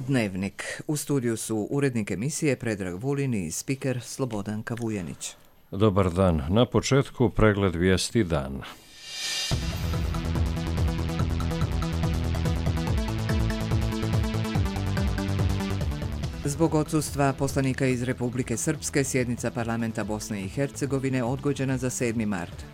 Dnevnik. U studiju su urednik emisije Predrag Vulin i spiker Slobodanka Vujanić. Dobar dan. Na početku pregled vijesti dana. Zbog odsustva poslanika iz Republike Srpske, sjednica parlamenta Bosne i Hercegovine odgođena za 7. mart.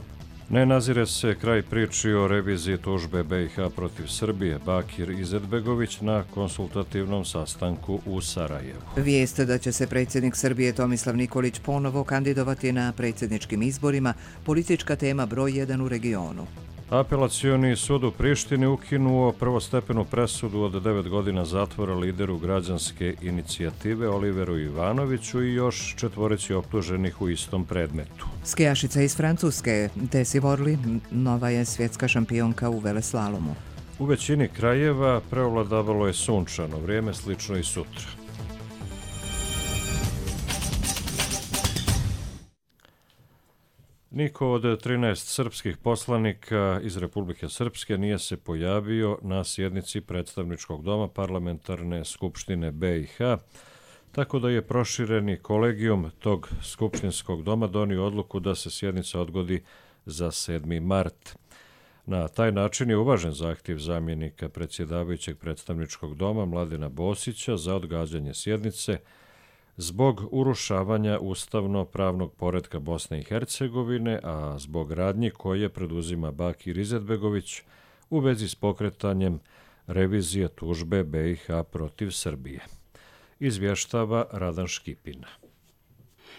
Ne nazire se kraj priči o reviziji tužbe BiH protiv Srbije. Bakir Izetbegović na konsultativnom sastanku u Sarajevu. Vijest da će se predsjednik Srbije Tomislav Nikolić ponovo kandidovati na predsjedničkim izborima, politička tema broj 1 u regionu. Apelacioni sud u Prištini ukinuo prvostepenu presudu od 9 godina zatvora lideru građanske inicijative Oliveru Ivanoviću i još 4 optuženih u istom predmetu. Skijašica iz Francuske, Tesi Worley, nova je svjetska šampionka u veleslalomu. U većini krajeva preovladavalo je sunčano vrijeme, slično i sutra. Niko od 13 srpskih poslanika iz Republike Srpske nije se pojavio na sjednici predstavničkog doma Parlamentarne skupštine BiH, tako da je prošireni kolegijum tog skupštinskog doma donio odluku da se sjednica odgodi za 7. mart. Na taj način je uvažen zahtjev zamjenika predsjedavajućeg predstavničkog doma Mladena Bosića za odgađanje sjednice zbog urušavanja ustavno-pravnog poretka Bosne i Hercegovine, a zbog radnji koje preduzima Bakir Izetbegović u vezi s pokretanjem revizije tužbe BiH protiv Srbije. Izvještava Radan Škipina.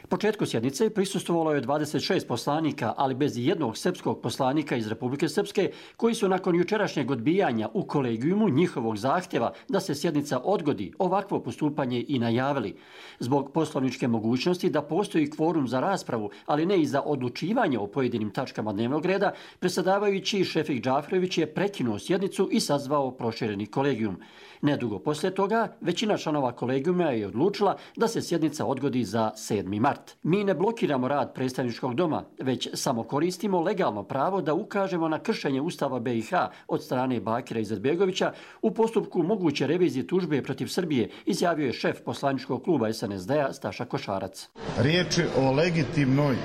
Početku sjednice prisustvovalo je 26 poslanika, ali bez jednog srpskog poslanika iz Republike Srpske, koji su nakon jučerašnjeg odbijanja u kolegijumu njihovog zahtjeva da se sjednica odgodi ovakvo postupanje i najavili. Zbog poslovničke mogućnosti da postoji kvorum za raspravu, ali ne i za odlučivanje o pojedinim tačkama dnevnog reda, predsjedavajući Šefik Džafrović je prekinuo sjednicu i sazvao prošireni kolegijum. Nedugo poslije toga, većina članova kolegijuma je odlučila da se sjednica odgodi za 7. mart. Mi ne blokiramo rad predstavničkog doma, već samo koristimo legalno pravo da ukažemo na kršenje Ustava BiH od strane Bakira Izetbegovića u postupku moguće revizije tužbe protiv Srbije, izjavio je šef poslaničkog kluba SNSD-a Staša Košarac. Riječ je o legitimnoj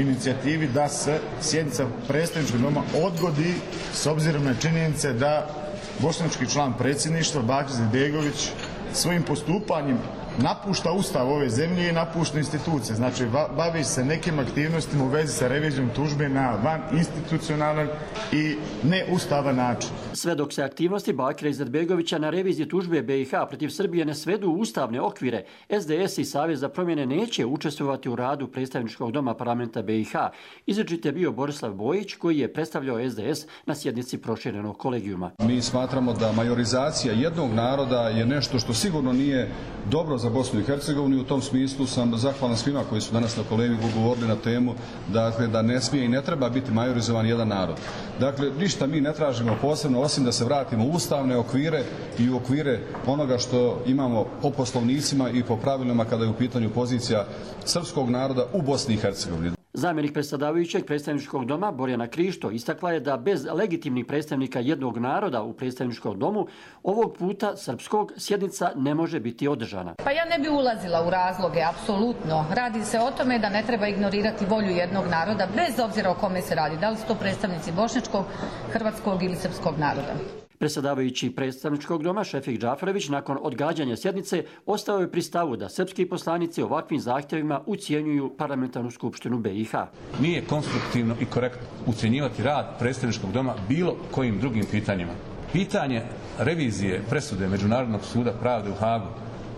inicijativi da se sjednica predstavničkog doma odgodi s obzirom na činjenice da bošnjački član predsjedništva Bakir Izetbegović svojim postupanjem napušta ustav ove zemlje i napušta institucije. Znači, bavi se nekim aktivnostima u vezi sa revizijom tužbe na van institucionalan i neustavan način. Sve dok se aktivnosti Bakira Izetbegovića na reviziji tužbe BiH protiv Srbije ne svedu u ustavne okvire, SDS i Savez za promjene neće učestvovati u radu predstavničkog doma parlamenta BiH. Izričit je bio Borislav Bojić, koji je predstavljao SDS na sjednici proširenog kolegijuma. Mi smatramo da majorizacija jednog naroda je nešto što sigurno nije dobro za Bosnu i Hercegovinu i u tom smislu sam zahvalan svima koji su danas na kolegiju govorili na temu da ne smije i ne treba biti majorizovan jedan narod. Dakle, ništa mi ne tražimo posebno osim da se vratimo u ustavne okvire i u okvire onoga što imamo po poslovnicima i po pravilima kada je u pitanju pozicija srpskog naroda u Bosni i Hercegovini. Zamjenik predsjedavajućeg predstavničkog doma Borjana Krišto istakla je da bez legitimnih predstavnika jednog naroda u predstavničkom domu ovog puta srpskog sjednica ne može biti održana. Pa ja ne bi ulazila u razloge, apsolutno. Radi se o tome da ne treba ignorirati volju jednog naroda, bez obzira o kome se radi, da li su to predstavnici bošnjačkog, hrvatskog ili srpskog naroda. Predsjedavajući predstavničkog doma Šefik Džafrović nakon odgađanja sjednice ostao je pri stavu da srpski poslanici ovakvim zahtjevima ucijenjuju parlamentarnu skupštinu BiH. Nije konstruktivno i korektno ucjenjivati rad predstavničkog doma bilo kojim drugim pitanjima. Pitanje revizije presude Međunarodnog suda pravde u Hagu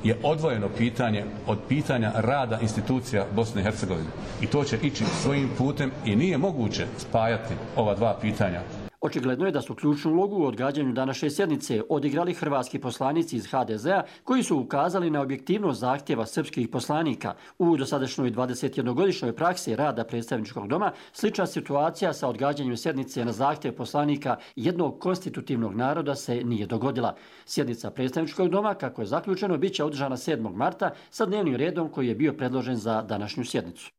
je odvojeno pitanje od pitanja rada institucija Bosne i Hercegovine. I to će ići svojim putem i nije moguće spajati ova dva pitanja. Očigledno je da su ključnu ulogu u odgađanju današnje sjednice odigrali hrvatski poslanici iz HDZ-a koji su ukazali na objektivnost zahtjeva srpskih poslanika. U dosadašnjoj 21-godišnjoj praksi rada predstavničkog doma slična situacija sa odgađanjem sjednice na zahtjev poslanika jednog konstitutivnog naroda se nije dogodila. Sjednica predstavničkog doma, kako je zaključeno, bit će održana 7. marta sa dnevnim redom koji je bio predložen za današnju sjednicu.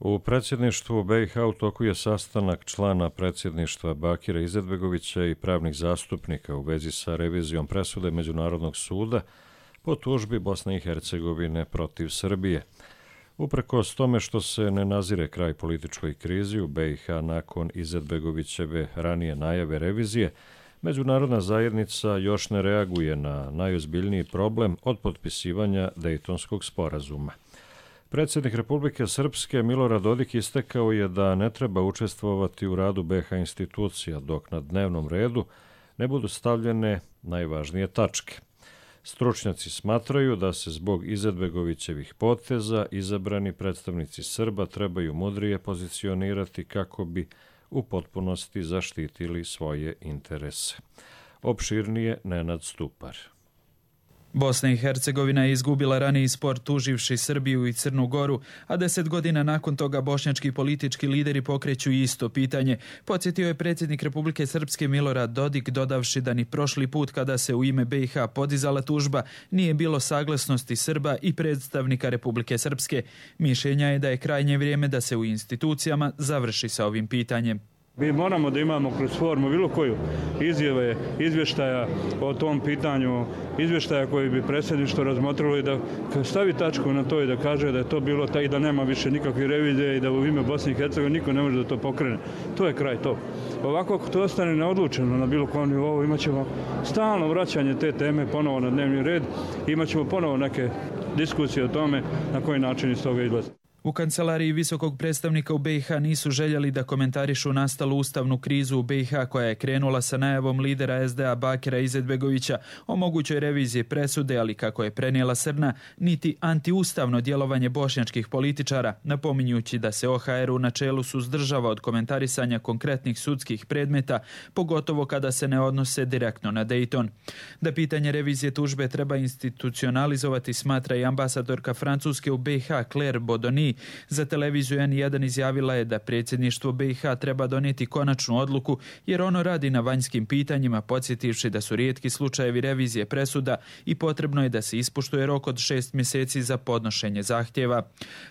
U predsjedništvu BiH u toku je sastanak člana predsjedništva Bakira Izetbegovića i pravnih zastupnika u vezi sa revizijom presude Međunarodnog suda po tužbi Bosne i Hercegovine protiv Srbije. Uprkos tome što se ne nazire kraj političkoj krizi u BiH nakon Izetbegovićeve ranije najave revizije, međunarodna zajednica još ne reaguje na najozbiljniji problem od potpisivanja Dejtonskog sporazuma. Predsjednik Republike Srpske Milorad Dodik istakao je da ne treba učestvovati u radu BiH institucija dok na dnevnom redu ne budu stavljene najvažnije tačke. Stručnjaci smatraju da se zbog Izetbegovićevih poteza izabrani predstavnici Srba trebaju mudrije pozicionirati kako bi u potpunosti zaštitili svoje interese. Opširnije Nenad Stupar. Bosna i Hercegovina je izgubila raniji spor tuživši Srbiju i Crnu Goru, a 10 godina nakon toga bošnjački politički lideri pokreću isto pitanje. Podsjetio je predsjednik Republike Srpske Milorad Dodik, dodavši da ni prošli put kada se u ime BiH podizala tužba nije bilo saglasnosti Srba i predstavnika Republike Srpske. Mišljenja je da je krajnje vrijeme da se u institucijama završi sa ovim pitanjem. Mi moramo da imamo kroz formu bilo koju izjave, izvještaja o tom pitanju, izvještaja koji bi predsjedništvo razmotrilo i da stavi tačku na to i da kaže da je to bilo i da nema više nikakve revizije i da u ime Bosne i Hercegovine niko ne može da to pokrene. To je kraj to. Ovako ako to ostane neodlučeno na bilo kom nivou, imat ćemo stalno vraćanje te teme ponovo na dnevni red, imat ćemo ponovo neke diskusije o tome na koji način iz toga izlazi. U kancelariji visokog predstavnika u BiH nisu željeli da komentarišu nastalu ustavnu krizu u BiH koja je krenula sa najavom lidera SDA Bakira Izetbegovića o mogućoj reviziji presude, ali kako je prenijela Srna, niti antiustavno djelovanje bošnjačkih političara, napominjući da se OHR u načelu suzdržava od komentarisanja konkretnih sudskih predmeta, pogotovo kada se ne odnose direktno na Dejton. Da pitanje revizije tužbe treba institucionalizovati, smatra i ambasadorka Francuske u BiH Claire Bodoni. Za televiziju N1 izjavila je da predsjedništvo BiH treba donijeti konačnu odluku jer ono radi na vanjskim pitanjima, podsjetivši da su rijetki slučajevi revizije presuda i potrebno je da se ispoštuje rok od 6 mjeseci za podnošenje zahtjeva.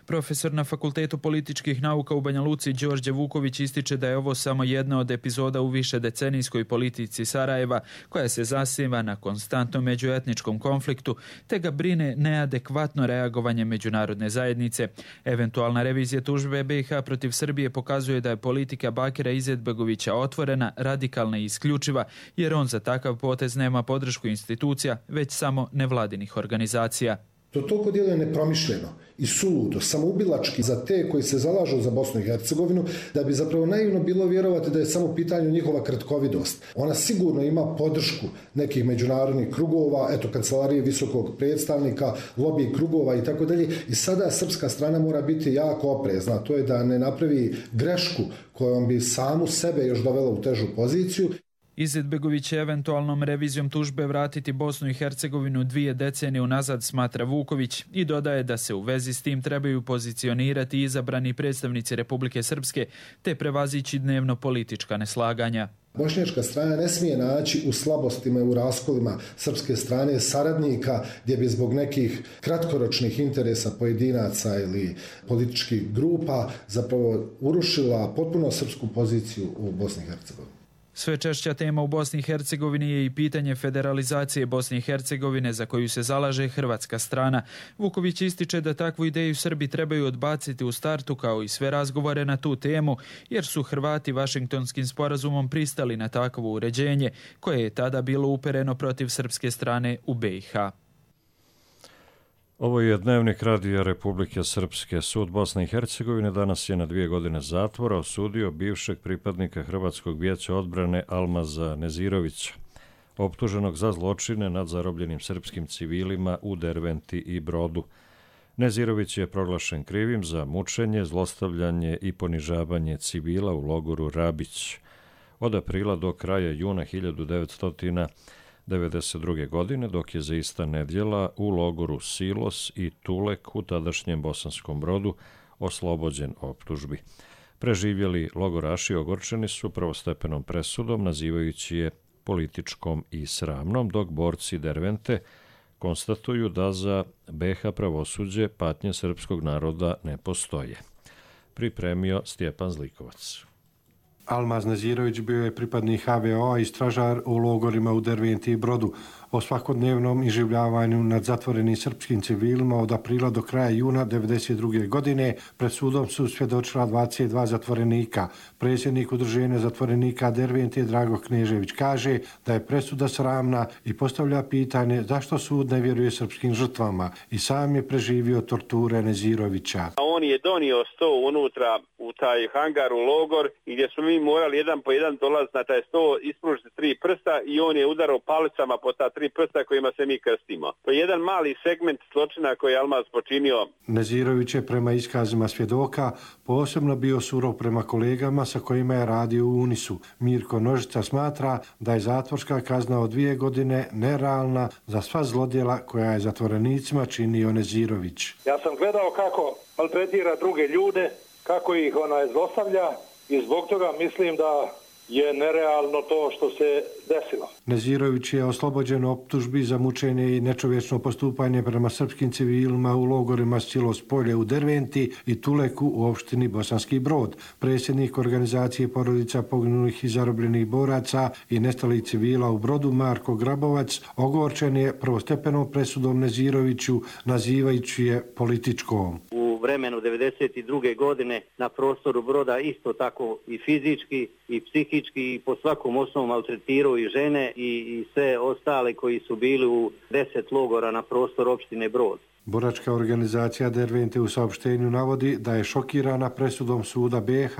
Profesor na Fakultetu političkih nauka u Banja Luci Đorđe Vuković ističe da je ovo samo jedna od epizoda u višedecenijskoj politici Sarajeva koja se zasniva na konstantnom međuetničkom konfliktu te ga brine neadekvatno reagovanje međunarodne zajednice. Eventualna revizija tužbe BiH protiv Srbije pokazuje da je politika Bakira Izetbegovića otvorena, radikalna i isključiva, jer on za takav potez nema podršku institucija, već samo nevladinih organizacija. To toliko djeluje nepromišljeno i suludo, samoubilački za te koji se zalažu za Bosnu i Hercegovinu, da bi zapravo naivno bilo vjerovati da je samo u pitanju njihova kratkovidost. Ona sigurno ima podršku nekih međunarodnih krugova, kancelarije visokog predstavnika, lobby krugova i tako dalje. I sada srpska strana mora biti jako oprezna, to je da ne napravi grešku kojom bi samu sebe još dovela u težu poziciju. Izetbegović će eventualnom revizijom tužbe vratiti Bosnu i Hercegovinu 2 decenije unazad, smatra Vuković, i dodaje da se u vezi s tim trebaju pozicionirati izabrani predstavnici Republike Srpske te prevazići dnevno politička neslaganja. Bošnjačka strana ne smije naći u slabostima i u raskolima srpske strane saradnika gdje bi zbog nekih kratkoročnih interesa pojedinaca ili političkih grupa zapravo urušila potpuno srpsku poziciju u Bosni i Hercegovini. Sve češća tema u Bosni i Hercegovini je i pitanje federalizacije Bosne i Hercegovine za koju se zalaže hrvatska strana. Vuković ističe da takvu ideju Srbi trebaju odbaciti u startu kao i sve razgovore na tu temu, jer su Hrvati Vašingtonskim sporazumom pristali na takvo uređenje koje je tada bilo upereno protiv srpske strane u BiH. Ovo je Dnevnik Radija Republike Srpske. Sud Bosne i Hercegovine danas je na 2 godine zatvora osudio bivšeg pripadnika Hrvatskog vijeća odbrane Almaza Nezirovića, optuženog za zločine nad zarobljenim srpskim civilima u Derventi i Brodu. Nezirović je proglašen krivim za mučenje, zlostavljanje i ponižavanje civila u logoru Rabić od aprila do kraja juna 1992. godine, dok je za ista nedjela u logoru Silos i Tulek u tadašnjem Bosanskom Brodu oslobođen optužbi. Preživjeli logoraši ogorčeni su prvostepenom presudom, nazivajući je političkom i sramnom, dok borci Dervente konstatuju da za BiH pravosuđe patnje srpskog naroda ne postoje. pripremio Stjepan Zlikovac. Almaz Nazirović bio je pripadnik HVO-a i stražar u logorima u Derventi i Brodu. O svakodnevnom iživljavanju nad zatvorenim srpskim civilima od aprila do kraja juna 1992. godine pred sudom su svjedočila 22 zatvorenika. Predsjednik udruženja zatvorenika Derventi Drago Knežević kaže da je presuda sramna i postavlja pitanje zašto sud ne vjeruje srpskim žrtvama i sam je preživio torture Nazirovića. On je donio sto unutra u taj hangar u logor i gdje smo mi morali jedan po jedan dolaziti na taj sto, ispružiti 3 prsta i on je udarao palicama po ta 3 prsta kojima se mi krstimo. To je jedan mali segment zločina koji je Almaz počinio. Nazirović je prema iskazima svjedoka posebno bio surov prema kolegama sa kojima je radio u Unisu. Mirko Nožica smatra da je zatvorska kazna od 2 godine nerealna za sva zlodjela koja je zatvorenicima činio Nazirović. Ja sam gledao kako maltretira druge ljude, kako ih zlostavlja i zbog toga mislim da je nerealno to što se desilo. Nazirović je oslobođen optužbi za mučenje i nečovječno postupanje prema srpskim civilima u logorima Silos Polje u Derventi i Tuleku u opštini Bosanski Brod. Predsjednik organizacije porodica poginulih i zarobljenih boraca i nestalih civila u Brodu Marko Grabovac ogorčen je prvostepenom presudom Naziroviću, nazivajući je političkom. U vremenu 1992. godine na prostoru Broda isto tako i fizički i psihički i po svakom osnovu maltretirao i žene i sve ostale koji su bili u 10 logora na prostoru opštine Brod. Boračka organizacija Dervente u saopštenju navodi da je šokirana presudom suda BiH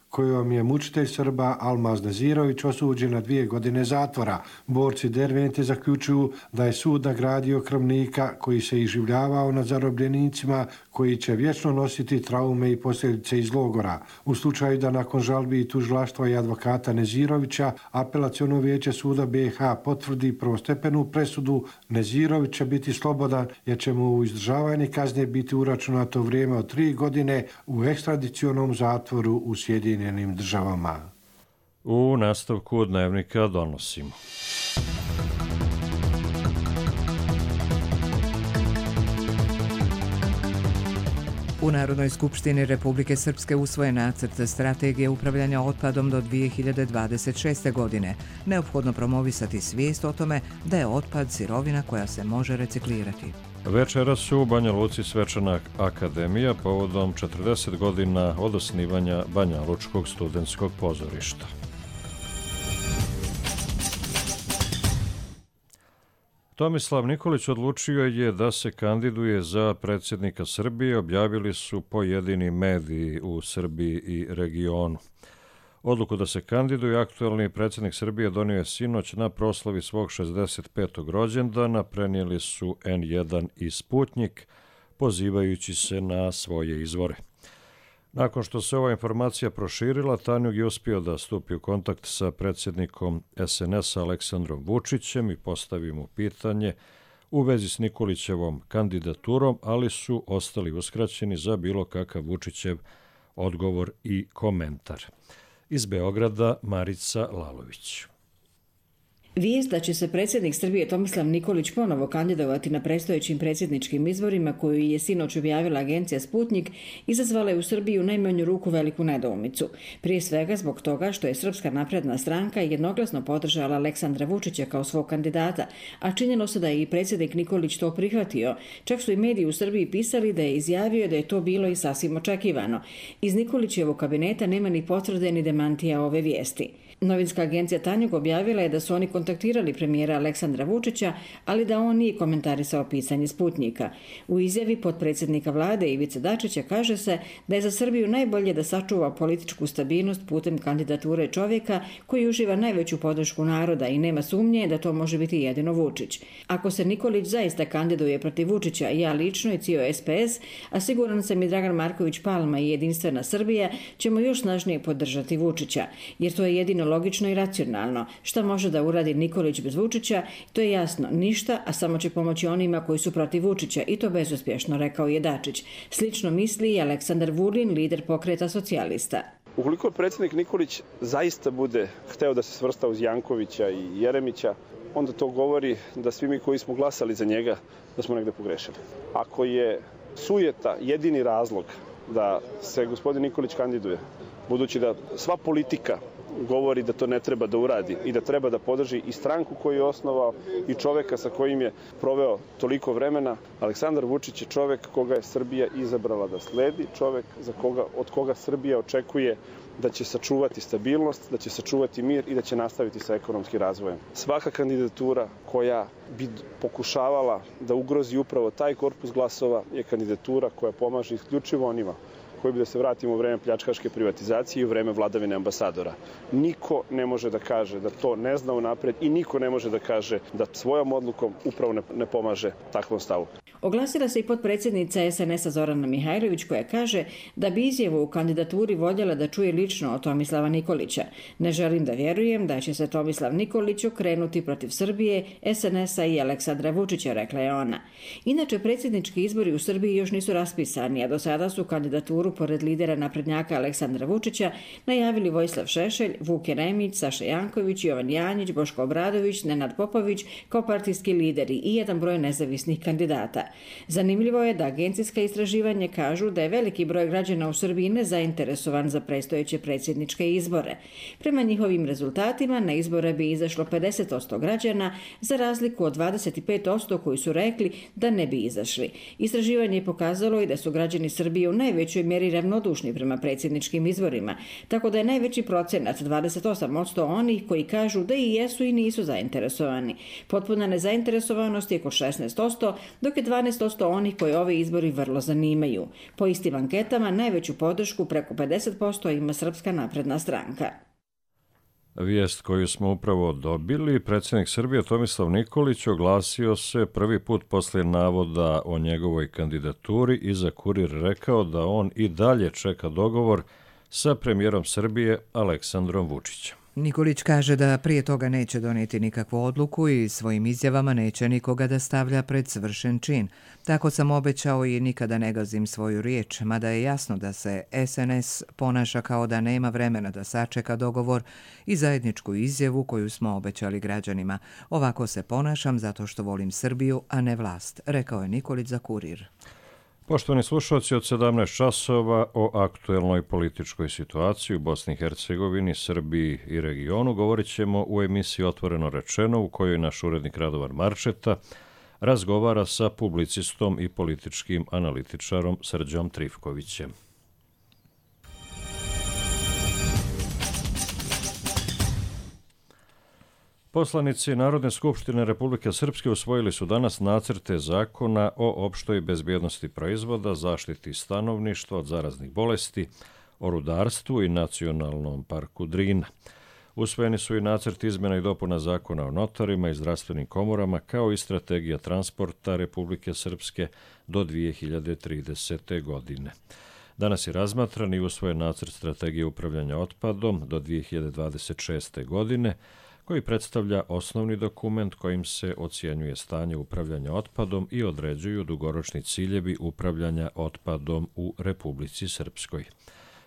kojom je mučitelj Srba Almaz Nazirović osuđen na 2 godine zatvora. Borci Dervente zaključuju da je sud nagradio krvnika koji se iživljavao nad zarobljenicima koji će vječno nositi traume i posljedice iz logora. U slučaju da nakon žalbi i tužilaštva i advokata Nazirovića apelaciono vijeće suda BiH potvrdi prvostepenu presudu, Nazirović će biti slobodan jer će mu u izdržavanje kazne biti uračunato vrijeme od 3 godine u ekstradicionom zatvoru u Sjedinjenim Državama. U nastavku dnevnika donosimo. U Narodnoj skupštini Republike Srpske usvojen nacrt strategije upravljanja otpadom do 2026. godine. Neophodno promovisati svijest o tome da je otpad sirovina koja se može reciklirati. Večeras su u Banja Luci svečana akademija povodom 40 godina od osnivanja Banja Lučkog studentskog pozorišta. Tomislav Nikolić odlučio je da se kandiduje za predsjednika Srbije, objavili su pojedini mediji u Srbiji i regionu. Odluku da se kandiduje aktuelni predsjednik Srbije donio je sinoć na proslavi svog 65. rođendana, prenijeli su N1 i Sputnjik, pozivajući se na svoje izvore. Nakon što se ova informacija proširila, Tanjug je uspio da stupi u kontakt sa predsjednikom SNS-a Aleksandrom Vučićem i postavi mu pitanje u vezi s Nikolićevom kandidaturom, ali su ostali uskraćeni za bilo kakav Vučićev odgovor i komentar. Iz Beograda Marica Lalović. Vijest da će se predsjednik Srbije Tomislav Nikolić ponovo kandidovati na predstojećim predsjedničkim izborima koju je sinoć objavila agencija Sputnjik izazvala je u Srbiji u najmanju ruku veliku nedoumicu. Prije svega zbog toga što je Srpska napredna stranka jednoglasno podržala Aleksandra Vučića kao svog kandidata, a činjeno se da je i predsjednik Nikolić to prihvatio. Čak su i mediji u Srbiji pisali da je izjavio da je to bilo i sasvim očekivano. Iz Nikolićevog kabineta nema ni potvrde ni demantija ove vijesti. Novinska agencija Tanjug objavila je da su oni kontaktirali premijera Aleksandra Vučića, ali da on nije komentarisao pisanje Sputnjika. U izjavi potpredsjednika vlade Ivice Dačića kaže se da je za Srbiju najbolje da sačuva političku stabilnost putem kandidature čovjeka koji uživa najveću podršku naroda i nema sumnje da to može biti jedino Vučić. Ako se Nikolić zaista kandiduje protiv Vučića, ja lično i cijelo SPS, a siguran sam i Dragan Marković Palma i Jedinstvena Srbija, ćemo još snažnije podržati Vučića, jer to je jedino logično i racionalno. Šta može da uradi Nikolić bez Vučića, to je jasno, ništa, a samo će pomoći onima koji su protiv Vučića i to bezuspješno, rekao je Dačić. Slično misli i Aleksandar Vulin, lider Pokreta socijalista. Ukoliko predsjednik Nikolić zaista bude hteo da se svrsta uz Jankovića i Jeremića, onda to govori da svi mi koji smo glasali za njega, da smo negde pogrešili. Ako je sujeta jedini razlog da se gospodin Nikolić kandiduje, budući da sva politika govori da to ne treba da uradi i da treba da podrži i stranku koju je osnovao i čoveka sa kojim je proveo toliko vremena. Aleksandar Vučić je čovek koga je Srbija izabrala da sledi, čovek od koga Srbija očekuje da će sačuvati stabilnost, da će sačuvati mir i da će nastaviti sa ekonomskim razvojem. Svaka kandidatura koja bi pokušavala da ugrozi upravo taj korpus glasova je kandidatura koja pomaže isključivo onima koji bi, da se vratimo u vreme pljačkaške privatizacije i u vreme vladavine ambasadora. Niko ne može da kaže da to ne zna unapred i niko ne može da kaže da svojom odlukom upravo ne pomaže takvom stavu. Oglasila se i potpredsjednica SNS-a Zorana Mihajlović koja kaže da bi izjavu u kandidaturi voljela da čuje lično od Tomislava Nikolića. Ne želim da vjerujem da će se Tomislav Nikolić okrenuti protiv Srbije, SNS-a i Aleksandra Vučića, rekla je ona. Inače, predsjednički izbori u Srbiji još nisu raspisani, a do sada su kandidaturu pored lidera naprednjaka Aleksandra Vučića najavili Vojislav Šešelj, Vuk Jeremić, Saša Janković, Jovan Janjić, Boško Obradović, Nenad Popović kao partijski lideri i jedan broj nezavisnih kandidata. Zanimljivo je da agencijska istraživanja kažu da je veliki broj građana u Srbiji nezainteresovan za predstojeće predsjedničke izbore. Prema njihovim rezultatima na izbore bi izašlo 50% građana, za razliku od 25% koji su rekli da ne bi izašli. Istraživanje je pokazalo i da su građani Srbije u najvećoj mjeri ravnodušni prema predsjedničkim izborima, tako da je najveći procenat 28% onih koji kažu da i jesu i nisu zainteresovani. Potpuna nezainteresovanost je oko 16%, dok je 12% onih koji ove izbori vrlo zanimaju. Po istim anketama najveću podršku preko 50% ima Srpska napredna stranka. Vijest koju smo upravo dobili, predsjednik Srbije Tomislav Nikolić oglasio se prvi put poslije navoda o njegovoj kandidaturi i za Kurir rekao da on i dalje čeka dogovor sa premijerom Srbije Aleksandrom Vučićem. Nikolić kaže da prije toga neće donijeti nikakvu odluku i svojim izjavama neće nikoga da stavlja pred svršen čin. Tako sam obećao i nikada ne gazim svoju riječ, mada je jasno da se SNS ponaša kao da nema vremena da sačeka dogovor i zajedničku izjavu koju smo obećali građanima. Ovako se ponašam zato što volim Srbiju, a ne vlast, rekao je Nikolić za Kurir. Poštovani slušalci, od 17 časova o aktuelnoj političkoj situaciji u Bosni i Hercegovini, Srbiji i regionu govorit ćemo u emisiji Otvoreno rečeno, u kojoj naš urednik Radovan Marčeta razgovara sa publicistom i političkim analitičarom Srđom Trifkovićem. Poslanici Narodne skupštine Republike Srpske usvojili su danas nacrte zakona o opštoj bezbjednosti proizvoda, zaštiti stanovništva od zaraznih bolesti, o rudarstvu i nacionalnom parku Drina. Usvojeni su i nacrt izmjena i dopuna zakona o notarima i zdravstvenim komorama, kao i strategija transporta Republike Srpske do 2030. godine. Danas je razmatran i usvojen nacrt strategije upravljanja otpadom do 2026. godine, koji predstavlja osnovni dokument kojim se ocjenjuje stanje upravljanja otpadom i određuju dugoročni ciljevi upravljanja otpadom u Republici Srpskoj.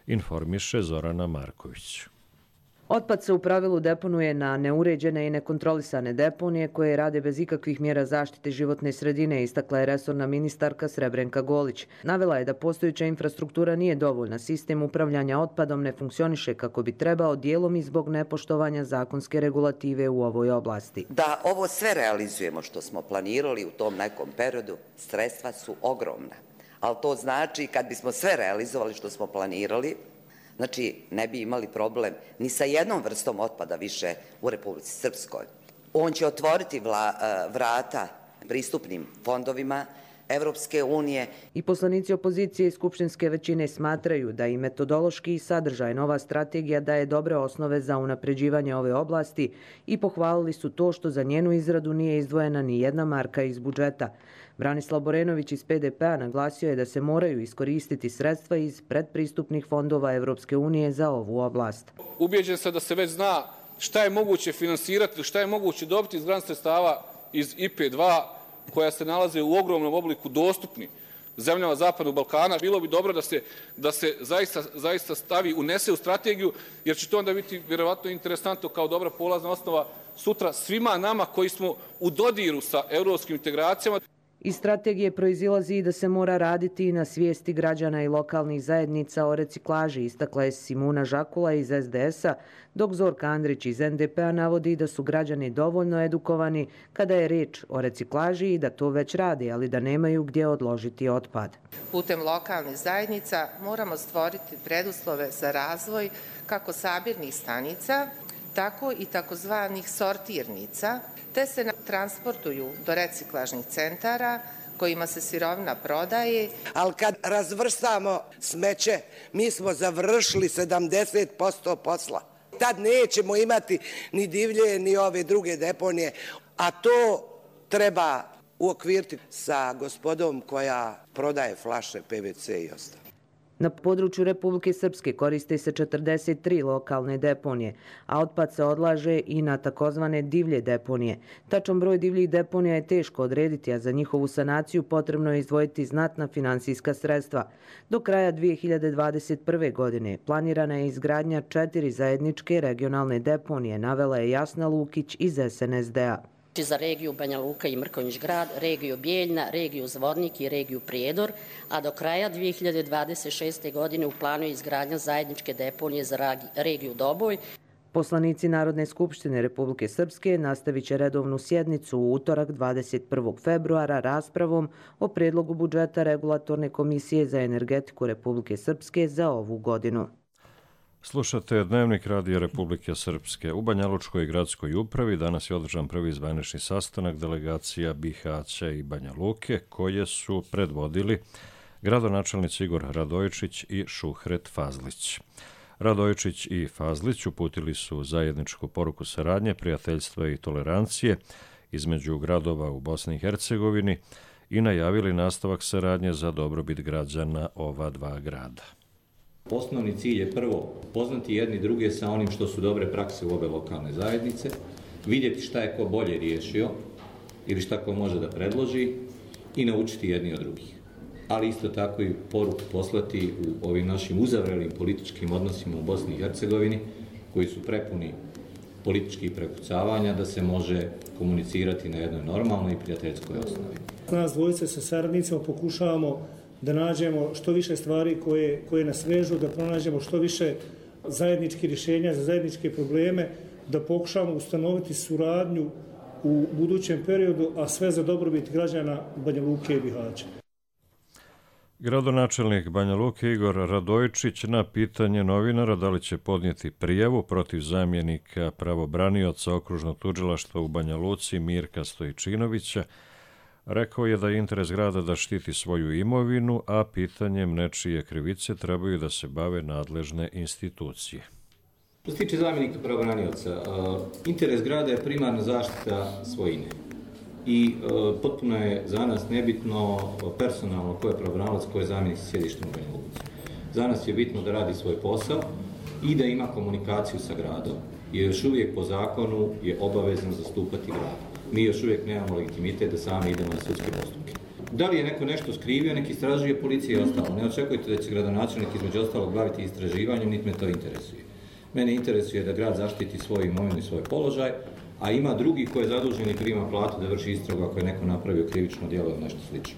Informiše Zorana Marković. Otpad se u pravilu deponuje na neuređene i nekontrolisane deponije koje rade bez ikakvih mjera zaštite životne sredine, istakla je resorna ministarka Srebrenka Golić. Navela je da postojeća infrastruktura nije dovoljna, sistem upravljanja otpadom ne funkcioniše kako bi trebao, dijelom i zbog nepoštovanja zakonske regulative u ovoj oblasti. Da ovo sve realizujemo što smo planirali u tom nekom periodu, sredstva su ogromna. Ali to znači kad bismo sve realizovali što smo planirali, znači, ne bi imali problem ni sa jednom vrstom otpada više u Republici Srpskoj. On će otvoriti vrata pristupnim fondovima Evropske unije. I poslanici opozicije i skupštinske većine smatraju da i metodološki i sadržaj nova strategija daje dobre osnove za unapređivanje ove oblasti i pohvalili su to što za njenu izradu nije izdvojena ni jedna marka iz budžeta. Branislav Borenović iz PDP-a naglasio je da se moraju iskoristiti sredstva iz predpristupnih fondova Evropske unije za ovu oblast. Ubijeđen sam da se već zna šta je moguće finansirati, šta je moguće dobiti iz grant sredstava iz IP2, koja se nalaze u ogromnom obliku dostupni zemljama Zapadnog Balkana. Bilo bi dobro da se zaista stavi, unese u strategiju, jer će to onda biti vjerovatno interesantno kao dobra polazna osnova sutra svima nama koji smo u dodiru sa europskim integracijama. Iz strategije proizilazi i da se mora raditi i na svijesti građana i lokalnih zajednica o reciklaži, istakla je Simuna Žakula iz SDS-a, dok Zorka Andrić iz NDP-a navodi da su građani dovoljno edukovani kada je riječ o reciklaži i da to već radi, ali da nemaju gdje odložiti otpad. Putem lokalnih zajednica moramo stvoriti preduslove za razvoj kako sabirnih stanica, tako i takozvanih sortirnica, te se transportuju do reciklažnih centara kojima se sirovina prodaje. Ali kad razvrstamo smeće, mi smo završili 70% posla. Tad nećemo imati ni divlje, ni ove druge deponije, a to treba uokviriti sa gospodom koja prodaje flaše PVC i ostalo. Na području Republike Srpske koriste se 43 lokalne deponije, a otpad se odlaže i na takozvane divlje deponije. Tačan broj divljih deponija je teško odrediti, a za njihovu sanaciju potrebno je izdvojiti znatna finansijska sredstva. Do kraja 2021. godine planirana je izgradnja 4 zajedničke regionalne deponije, navela je Jasna Lukić iz SNSD-a. Za regiju Banja Luka i Mrkonjić Grad, regiju Bijeljna, regiju Zvornik i regiju Prijedor, a do kraja 2026. godine u planu je izgradnja zajedničke deponije za regiju Doboj. Poslanici Narodne skupštine Republike Srpske nastavit će redovnu sjednicu u utorak 21. februara raspravom o predlogu budžeta Regulatorne komisije za energetiku Republike Srpske za ovu godinu. Slušate Dnevnik Radija Republike Srpske. U Banja Lučkoj gradskoj upravi danas je održan prvi zvanični sastanak delegacija Bihaća i Banja Luke, koje su predvodili gradonačelnici Igor Radojičić i Šuhret Fazlić. Radojičić i Fazlić uputili su zajedničku poruku saradnje, prijateljstva i tolerancije između gradova u Bosni i Hercegovini i najavili nastavak saradnje za dobrobit građana ova dva grada. Osnovni cilj je prvo poznati jedni druge sa onim što su dobre prakse u ove lokalne zajednice, vidjeti šta je ko bolje riješio ili šta ko može da predloži i naučiti jedni od drugih. Ali isto tako i poruku poslati u ovim našim uzavrelim političkim odnosima u Bosni i Hercegovini, koji su prepuni političkih prepucavanja, da se može komunicirati na jednoj normalnoj i prijateljskoj osnovi. Nas dvojice sa saradnicima pokušavamo da nađemo što više stvari koje nas vežu, da pronađemo što više zajedničkih rješenja za zajedničke probleme, da pokušamo ustanoviti suradnju u budućem periodu, a sve za dobrobit građana Banja Luke i Bihaća. Gradonačelnik Banja Luke Igor Radojičić na pitanje novinara da li će podnijeti prijavu protiv zamjenika pravobranioca okružnog tužilaštva u Banja Luci Mirka Stojčinovića rekao je da je interes grada da štiti svoju imovinu, a pitanjem nečije krivice trebaju da se bave nadležne institucije. Što se tiče zamjenika pravobranioca, interes grada je primarna zaštita svojine. I potpuno je za nas nebitno personalno ko je pravobranilac, ko je zamjenik sa sjedištem u Banja Luci. Za nas je bitno da radi svoj posao i da ima komunikaciju sa gradom, jer još uvijek po zakonu je obavezan zastupati grad. Mi još uvijek nemamo legitimitet da sami idemo na sudske postupke. Da li je neko nešto skrivio, neki istražuje policija i ostalo. Ne očekujte da će gradonačelnik između ostalog baviti istraživanjem, niti me to interesuje. Mene interesuje da grad zaštiti svoju imovinu i svoj položaj, a ima drugi koji je zadužen i prima platu da vrši istragu ako je neko napravio krivično djelo ili nešto slično.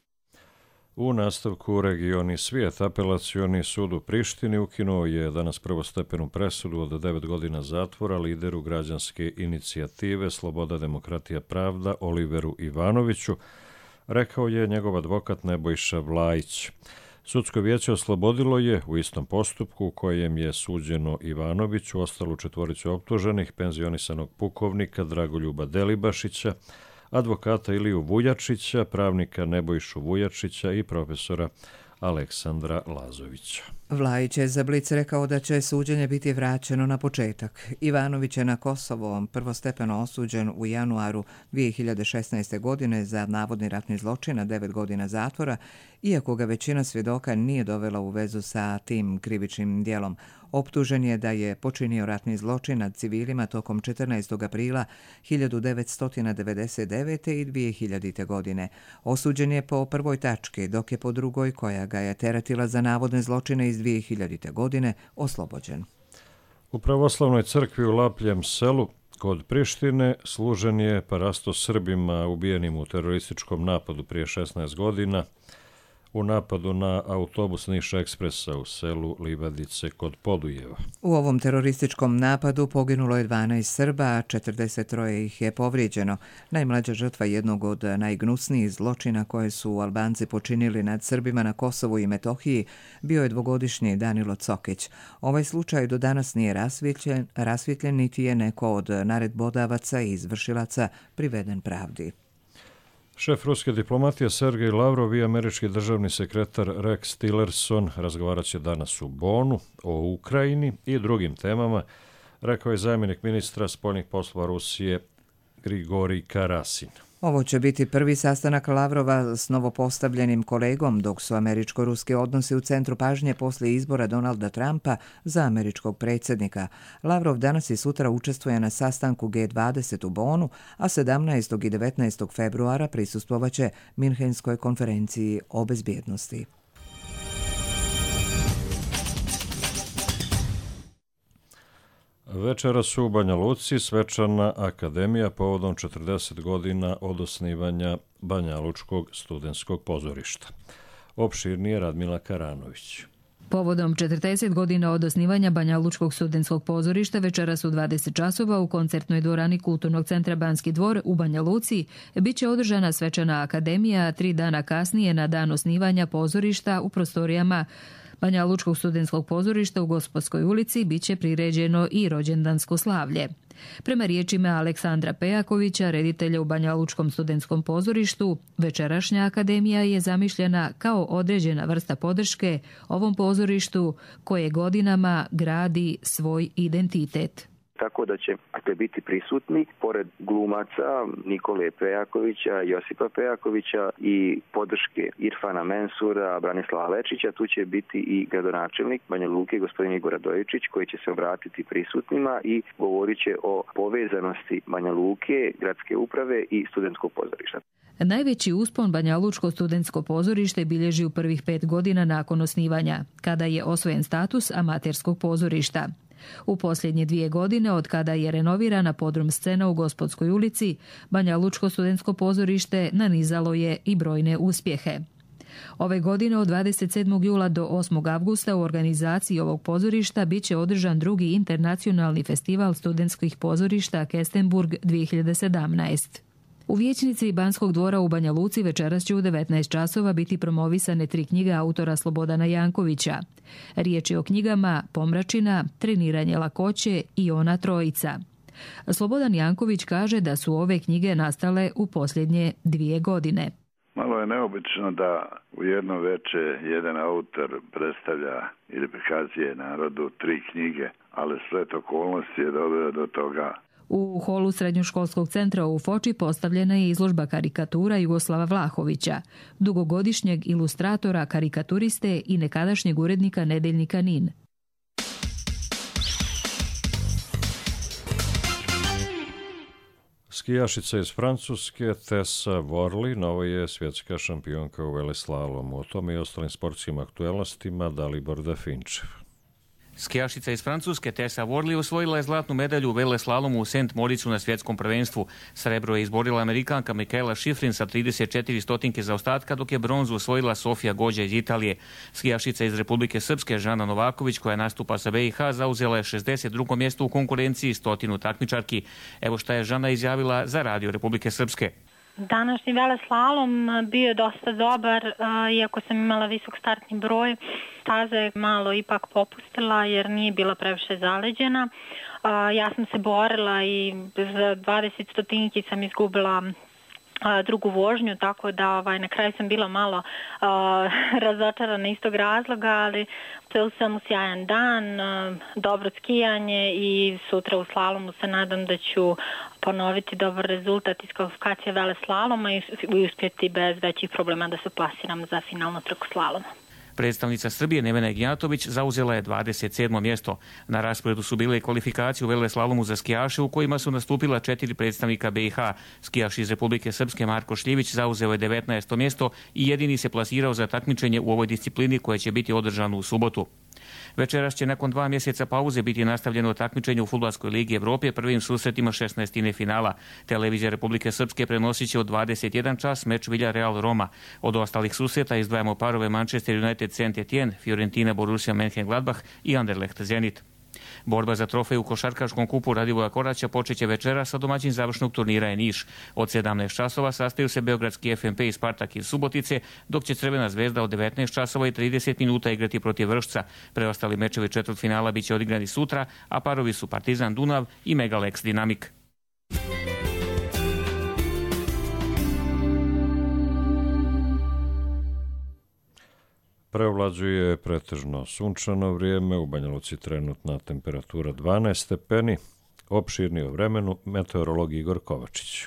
U nastavku regioni svijet, apelacioni sud u Prištini ukinuo je danas prvostepenu presudu od 9 godina zatvora lideru građanske inicijative Sloboda, demokratija, pravda Oliveru Ivanoviću, rekao je njegov advokat Nebojša Vlajić. Sudsko vijeće oslobodilo je u istom postupku u kojem je suđeno Ivanoviću ostalu četvoricu optuženih, penzionisanog pukovnika Dragoljuba Delibašića, advokata Iliju Vujačića, pravnika Nebojšu Vujačića i profesora Aleksandra Lazovića. Vlajić je za Blic rekao da će suđenje biti vraćeno na početak. Ivanović je na Kosovo prvostepeno osuđen u januaru 2016. godine za navodni ratni zločin na 9 godina zatvora, iako ga većina svjedoka nije dovela u vezu sa tim krivičnim djelom. Optužen je da je počinio ratni zločin nad civilima tokom 14. aprila 1999. i 2000. godine. Osuđen je po prvoj tački, dok je po drugoj, koja ga je teretila za navodne zločine iz 2000. godine, oslobođen. U pravoslavnoj crkvi u Lapljem selu Kod Prištine služen je parasto Srbima ubijenim u terorističkom napadu prije 16 godina u napadu na autobus Niš Ekspresa u selu Livadice kod Podujeva. U ovom terorističkom napadu poginulo je 12 Srba, a 43 ih je povrijeđeno. Najmlađa žrtva jednog od najgnusnijih zločina koje su Albanci počinili nad Srbima na Kosovu i Metohiji bio je dvogodišnji Danilo Cokić. Ovaj slučaj do danas nije rasvjetljen niti je neko od naredbodavaca i izvršilaca priveden pravdi. Šef ruske diplomatije Sergej Lavrov i američki državni sekretar Rex Tillerson razgovarat će danas u Bonu o Ukrajini i drugim temama, rekao je zamjenik ministra spoljnih poslova Rusije Grigorij Karasin. Ovo će biti prvi sastanak Lavrova s novopostavljenim kolegom, dok su američko-ruski odnosi u centru pažnje poslije izbora Donalda Trumpa za američkog predsjednika. Lavrov danas i sutra učestvuje na sastanku G20 u Bonu, a 17. i 19. februara prisustvovaće Minhenskoj konferenciji o bezbjednosti. Večeras u Banja Luci svečana akademija povodom 40 godina od osnivanja Banjalučkog studentskog pozorišta. Opširnije Radmila Karanović. Povodom 40 godina od osnivanja Banjalučkog studentskog pozorišta večeras u 20 časova u koncertnoj dvorani Kulturnog centra Banski dvor u Banja Luci bit će održana svečana akademija, a 3 dana kasnije na dan osnivanja pozorišta u prostorijama Banjalučkog studentskog pozorišta u Gospodskoj ulici bit će priređeno i rođendansko slavlje. Prema riječima Aleksandra Pejakovića, reditelja u Banjalučkom studentskom pozorištu, večerašnja akademija je zamišljena kao određena vrsta podrške ovom pozorištu koje godinama gradi svoj identitet. Tako da će biti prisutni, pored glumaca Nikole Pejakovića, Josipa Pejakovića i podrške Irfana Mensura, Branislava Lečića, tu će biti i gradonačelnik Banja Luke, gospodin Igor Radojević, koji će se obratiti prisutnima i govorit će o povezanosti Banja Luke, gradske uprave i studentskog pozorišta. Najveći uspon Banjalučko studentsko pozorište bilježi u prvih 5 godina nakon osnivanja, kada je osvojen status amaterskog pozorišta. U posljednje 2 godine, od kada je renovirana podrum scena u Gospodskoj ulici, Banjalučko studentsko pozorište nanizalo je i brojne uspjehe. Ove godine od 27. jula do 8. avgusta u organizaciji ovog pozorišta bit će održan drugi internacionalni festival studentskih pozorišta Kestenburg 2017. U vijećnici Banskog dvora u Banja Luci večeras će u 19 časova biti promovisane 3 knjige autora Slobodana Jankovića. Riječ je o knjigama Pomračina, Treniranje lakoće i Ona trojica. Slobodan Janković kaže da su ove knjige nastale u posljednje 2 godine. Malo je neobično da u jedno veče jedan autor predstavlja ili prikazuje narodu 3 knjige, ali splet okolnosti je doveo do toga. U holu Srednjoškolskog centra u Foči postavljena je izložba karikatura Jugoslava Vlahovića, dugogodišnjeg ilustratora, karikaturiste i nekadašnjeg urednika nedeljnika NIN. Skijašica iz Francuske Tessa Worley nova je svjetska šampionka u veleslalomu. O tome i ostalim sportskim aktuelnostima Dalibor Dafinčev. Skijašica iz Francuske Tessa Worley osvojila je zlatnu medalju u veleslalomu u St. Moricu na svjetskom prvenstvu. Srebro je izborila Amerikanka Michaela Schifrin sa 34 stotinke zaostatka, dok je bronzu osvojila Sofija Gođa iz Italije. Skijašica iz Republike Srpske Žana Novaković, koja nastupa sa BiH, zauzela je 62. mjesto u konkurenciji 100 takmičarki. Evo šta je Žana izjavila za Radio Republike Srpske. Današnji veleslalom bio je dosta dobar, iako sam imala visok startni broj. Staza je malo ipak popustila jer nije bila previše zaleđena. Ja sam se borila i za 20 stotinki sam izgubila drugu vožnju, tako da na kraju sam bila malo razočarana iz tog razloga, ali ceo sam u sjajan dan, dobro skijanje i sutra u slalomu se nadam da ću ponoviti dobar rezultat iz kvalifikacije veleslaloma i uspjeti bez većih problema da se plasiram za finalnu trku slaloma. Predstavnica Srbije Nevena Ignjatović zauzela je 27. mjesto. Na rasporedu su bile kvalifikacije u veleslalomu za skijaše u kojima su nastupila 4 predstavnika BiH. Skijaš iz Republike Srpske Marko Šljivić zauzeo je 19. mjesto i jedini se plasirao za takmičenje u ovoj disciplini koja će biti održano u subotu. Večeras će nakon 2 mjeseca pauze biti nastavljeno takmičenje u Fudbalskoj ligi Evrope prvim susretima 16. finala. Televizija Republike Srpske prenosit će od 21 čas meč Villarreal Roma. Od ostalih susreta izdvajamo parove Manchester United Saint-Étienne, Fiorentina Borussia Mönchengladbach i Anderlecht Zenit. Borba za trofej u košarkaškom kupu Radivoja Koraća počeće večeras, a domaćin završnog turnira je Niš. Od 17 časova sastaju se beogradski FNP i Spartak iz Subotice, dok će Crvena zvezda od 19 časova i 30 minuta igrati protiv Vršca. Preostali mečevi četvrtfinala biće odigrani sutra, a parovi su Partizan Dunav i Megalex Dinamik. Preovlađuje pretežno sunčano vrijeme, u Banja Luci trenutna temperatura 12 stepeni, opširni o vremenu meteorolog Igor Kovačić.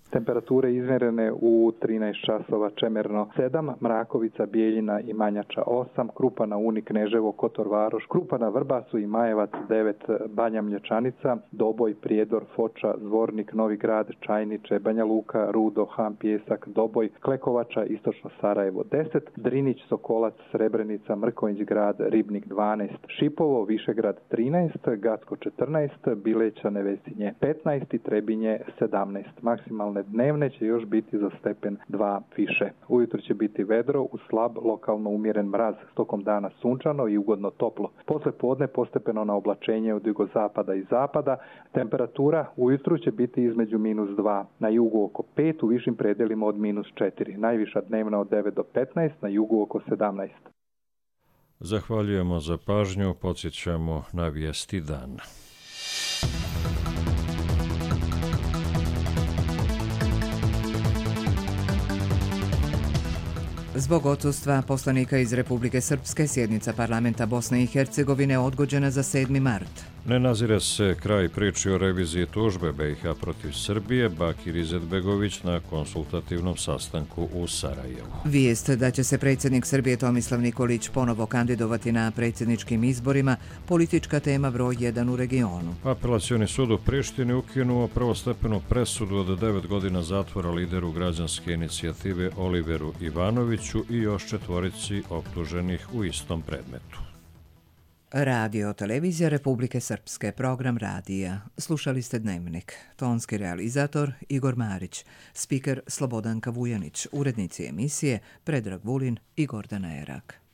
Temperature izmjerene u 13 časova Čemerno 7, Mrakovica, Bijeljina i Manjača 8, Krupana, Uni, Kneževo, Kotor, Varoš, Krupana, Vrbasu i Majevac 9, Banja Mlječanica, Doboj, Prijedor, Foča, Zvornik, Novi Grad, Čajniče, Banja Luka, Rudo, Ham, Pijesak, Doboj, Klekovača, Istočno Sarajevo 10, Drinić, Sokolac, Srebrenica, Mrkonjić grad, Ribnik 12, Šipovo, Višegrad 13, Gacko 14, Bileća, Nevesinje 15 i Trebinje 17. Maksimalne dnevne će još biti za stepen 2 više. Ujutro će biti vedro, uz slab, lokalno umjeren mraz, tokom dana sunčano i ugodno toplo. Posle podne postepeno na oblačenje od jugozapada i zapada. Temperatura ujutru će biti između -2, na jugu oko 5, u višim predelima od -4. Najviša dnevna od 9 do 15, na jugu oko 17. Zahvaljujemo za pažnju, podsjećamo na vijesti dana. Zbog odsustva poslanika iz Republike Srpske, sjednica parlamenta Bosne i Hercegovine odgođena za 7. mart. Ne nazire se kraj priči o reviziji tužbe BiH protiv Srbije, Bakir Izetbegović na konsultativnom sastanku u Sarajevu. Vijest da će se predsjednik Srbije Tomislav Nikolić ponovo kandidovati na predsjedničkim izborima, politička tema broj 1 u regionu. Apelacioni sud u Prištini ukinuo prvostepenu presudu od 9 godina zatvora lideru građanske inicijative Oliveru Ivanoviću i još 4 optuženih u istom predmetu. Radio Televizija Republike Srpske, program radija. Slušali ste Dnevnik. Tonski realizator Igor Marić, spiker Slobodanka Vujanić, urednici emisije Predrag Vulin i Gordana Erak.